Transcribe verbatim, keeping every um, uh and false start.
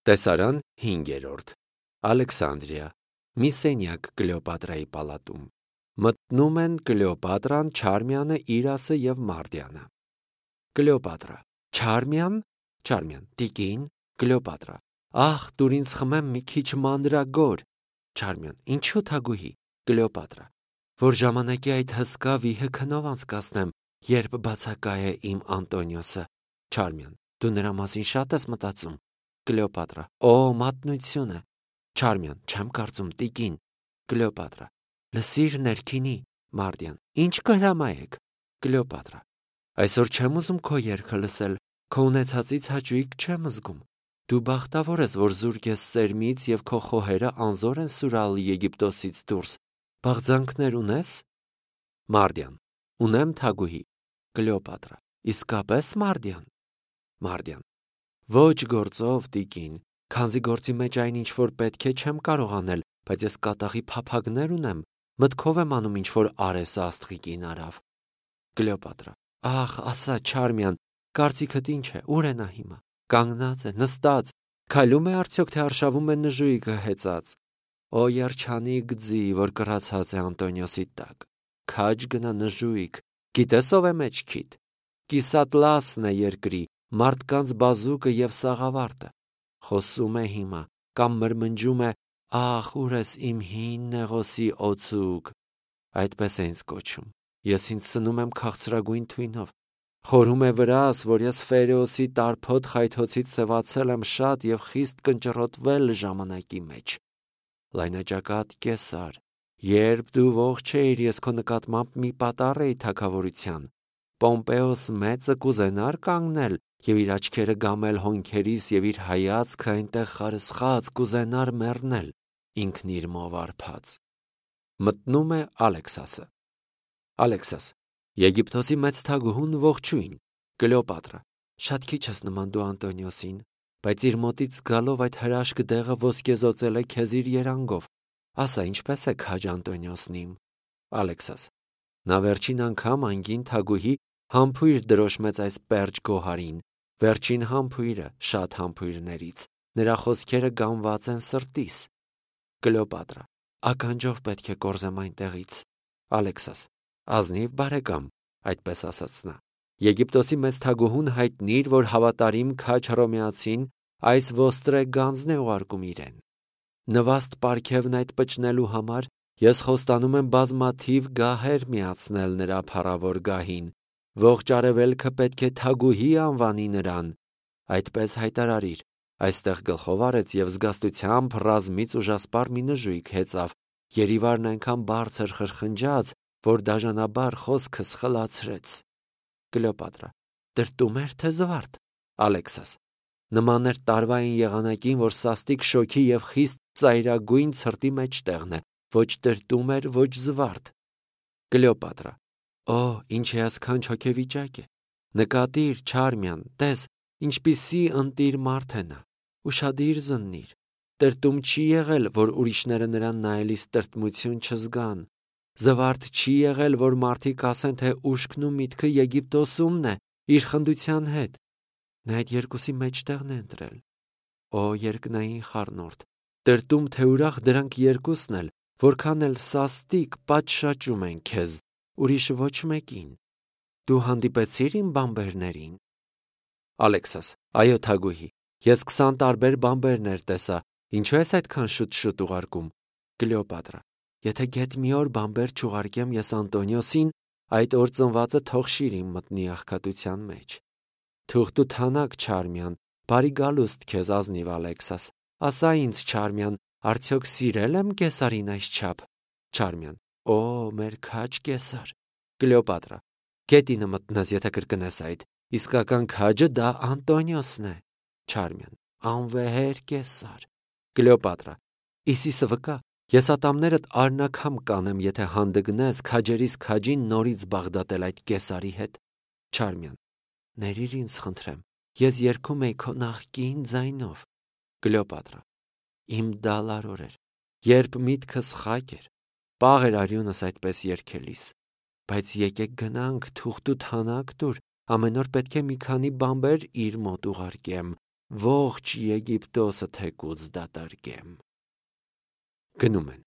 Տեսարան հինգերորդ Ալեքսանդրիա մի սենյակ Կլեոպատրայի պալատում մտնում են Կլեոպատրան, Չարմյանը, Իրասը և Մարդիանը։ Կլեոպատրա. Չարմյան, Չարմյան, տիկին, Կլեոպատրա. Ախ, դուր ինձ խմեմ մի քիչ մանրագոր։ Չարմյան. Ինչու թագուհի։ Կլեոպատրա. Որ ժամանակի այդ հսկա վիհը քնով անցկացնեմ, երբ բացակա է իմ Անտոնիոսը։ Չարմյան. Դու նրա մասին շատ ես մտածում։ Կլեոպատրա. Օ, մատնությունը։ Չարմյան. Չեմ կարծում, տիկին։ Կլեոպատրա. Լսիր ներքինի։ Մարդյան. Ինչ կհրամայեք։ Կլեոպատրա. Այսօր չեմ ուզում քո երգը լսել, քո ունեցածից հաճույք չեմ զգում։ Դու բախտավոր ես, որ զուրկ ես սերմից և քո խոհերը անզոր են սուրալ Եգիպտոսից դուրս։ Բաղձանքներ ունես։ Մարդյան. Ունեմ թագուհի։ Կլեոպատրա. Իսկապես Մարդյան։ Մարդյան. Ոչ գործով, տիկին, քանզի գործի մեջ այն ինչ որ պետք է չեմ կարող անել, բայց ես կատաղի փափագներ ունեմ, մտքով եմ անում ինչ որ արեսը աստղիկին արավ։ Կլեոպատրա. Ախ, ասա, Չարմյան, կարծիքդ ինչ է, ուր է նա հիմա։ Կանգնած է, նստած, քայլում է արդյոք, թե արշավում է նժույգը հեծած։ Օ երջանիկ ձի, որ կռացած է Անտոնիոսի տակ։ Քաջ գնա նժույգ, գիտես ով է մեջքիդ։ Կիսատլասն է երկրի, մարդկանց բազուկը և սաղավարտը։ Խոսում է հիմա, կամ մրմնջում է. Ախ, ուր ես իմ հին նեղոսի օձուկ։ Այդպես է ինձ կոչում։ Ես ինձ սնում եմ քաղցրագույն թույնով։ Խորհում է վրաս, որ ես Ֆերեոսի տարփոտ խայթոցից սևացել եմ շատ և խիստ կնճռոտվել ժամանակի մեջ։ Լայնաճակատ Կեսար, երբ դու ողջ էիր, ես քո նկատմամբ մի պատառ էի թագավորության։ Պոմպեոս մեծը կուզենար կանգնել և իր աչքերը գամել հոնքերիս և իր հայացքը այնտեղ խարսխած կուզենար մեռնել, ինքն իր մով արբած։ Մտնում է Ալեքսասը։ Ալեքսաս. Եգիպտոսի մեծ թագուհուն ողջույն։ Կլեոպատրա. Շատ քիչ ես նման դու Անտոնիոսին, բայց իր մոտից գալով այդ հրաշք դեղը ոսկեզօծել է քեզ իր երանգով։ Ասա, ինչպես է քաջ Անտոնիոսն իմ։ Ալեքսաս. Նա վերջին անգամ անգին թագուհի համբույր դրոշմեց այս պերճ գոհարին, վերջին համբույրը շատ համբույրներից, նրա խոսքերը գամված են սրտիս։ Կլեոպատրա. Ականջով պետք է կորզեմ այնտեղից։ Ալեքսաս. Ազնիվ բարեկամ, այդպես ասաց նա։ Եգիպտոսի մեծ թագուհուն հայտնիր, որ հավատարիմ քաջ հռոմեացին այս ոստրե գանձն է ուղարկում իրեն։ Նվաստ պարգևն այդ պճնելու համար ես խոստանում եմ բազմաթիվ գահեր միացնել նրա փառավոր գահին։ Ողջ արևելքը պետք է թագուհի անվանի նրան։ Այդպես հայտարարիր։ Այստեղ գլխով արեց և զգաստությամբ ռազմից ուժասպառ մի նժույգ հեծավ, երիվարն այնքան բարձր խրխնջաց, որ դաժանաբար խոսքս խլացրեց։ Կլեոպատրա. Տրտում էր, թե զվարթ։ Ալեքսաս. Նման էր տարվային եղանակին, որ սաստիկ շոգի և խիստ ծայրագույն ցրտի մեջտեղն է, ոչ տրտում էր, ոչ զվարթ։ Կլեոպատրա. Օ, ինչ հիասքանչ հոգեվիճակ է։ Նկատիր, Չարմյան, տես, ինչպիսի ընտիր մարդ է նա։ Ուշադիր զննիր։ Տրտում չի եղել, որ ուրիշները նրան նայելիս տրտմություն չզգան։ Զվարթ չի եղել, որ մարդիկ ասեն, թե ուշքն ու միտքը Եգիպտոսումն է, իր խնդության հետ։ Նա այդ երկուսի մեջտեղն է ընտրել։ Օ երկնային խառնուրդ, տրտում թե ուրախ դրանք երկուսն էլ, որքան էլ սաստիկ պատշաճում են քեզ, ուրիշ ոչ մեկին։ Դու հանդիպեցիր իմ բանբերներին։ Ալեքսաս. Այո, թագուհի, ես քսան տարբեր բանբերներ տեսա, ինչու ես այդքան շուտ-շուտ ուղարկում։ Կլեոպատրա. Եթե գեթ մի օր բանբեր չուղարկեմ ես Անտոնիոսին, այդ օր ծնվածը թող շիրիմ մտնի աղքատության մեջ։ Թուղթ ու թանակ, Չարմյան, բարի գալուստ քեզ ազնիվ Ալեքսաս։ Ասա ինձ, Չարմյան, արդյոք սիրել եմ Կեսարին այսչափ։ Չարմյան. Օ, մեր քաջ Կեսար։ Կլեոպատրա. Գետինը մտնես, եթե կրկնես այդ, իսկական քաջը դա Անտոնիոսն է։ Չարմյան. Անվեհեր Կեսար։ Կլեոպատրա. Իսիսը վկա, ես ատամներդ արնակամ կանեմ, եթե հանդգնես քաջերիս քաջին նորից բաղդատել այդ Կեսարի հետ։ Չարմյան. Ներիր ինձ խնդրեմ, ես երգում էի քո նախկին ձայնով։ Կլեոպատրա. Իմ դալար օրեր, երբ միտքս խակ էր, պաղ էր արյունս այդպես երգելիս։ Բայց եկեք գնանք, թուղթ ու թանակ տուր, ամեն օր պետք է մի քանի բանբեր իր մոտ ուղարկեմ, ողջ Եգիպտոսը թեկուզ դատարկեմ։ Գնում են։